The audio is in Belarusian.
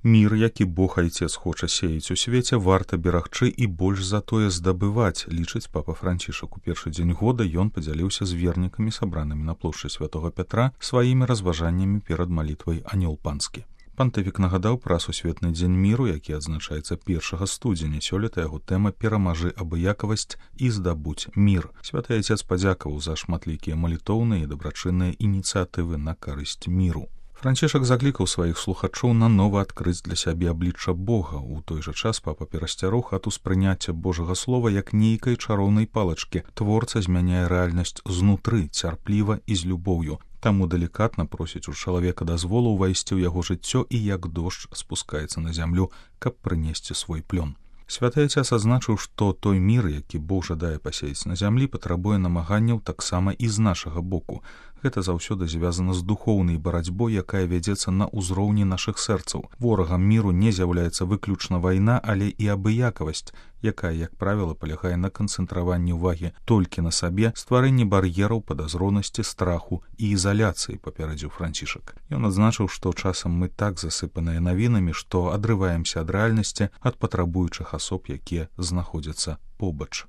Мір, які Бог Айцец хоча сеяць у свеце, варта берагчы і больш за тое здабываць, лічыць папа Францішак. У першы дзень года ён падзяліўся з вернікамі, сабранымі на плошчы Святога Пятра, сваімі разважаннямі перад малітвай «Анёл панскі». Пантыфік нагадаў пра сусветны дзень міру, які адзначаецца 1 студзеня. Сёлета яго тэма «Перамажы абыякавасць і здабуць мір». Святы Айцец падзякаваў за шматлікія малітоўныя і дабрачынныя ініцыятывы на карысць міру. Францішак заклікаў сваіх слухачоў нанова адкрыць для сябе аблічча Бога. У той жа час папа перасцярог ад успрыняцця Божага слова як нейкай чароўнай палачкі. Творца змяняе рэальнасць знутры, цярпліва і з любоўю. Таму далікатна просіць у чалавека дазволу ўвайсці ў яго жыццё і як дождж спускаецца на зямлю, каб прынесці свой плён. Святы Айцец азначыў, што той мір, які Бог жадае пасеяць на зямлі, патрабуе намаганняў таксама і з нашага боку. Гэта заўсёды звязана з духоўнай барацьбой, якая вядзецца на ўзроўні нашых сэрцаў. Ворагам міру не з'яўляецца выключна вайна, але і абыякавасць, якая, як правіла, палягае на канцэнтраванні ўвагі толькі на сабе, стварэнні бар'ераў, падазронасці, страху і ізаляцыі, папярэдзіў Францішак. Ён адзначыў, што часам мы так засыпаныя навінамі, што адрываемся ад рэальнасці, ад патрабуючых асоб, якія знаходзяцца побач.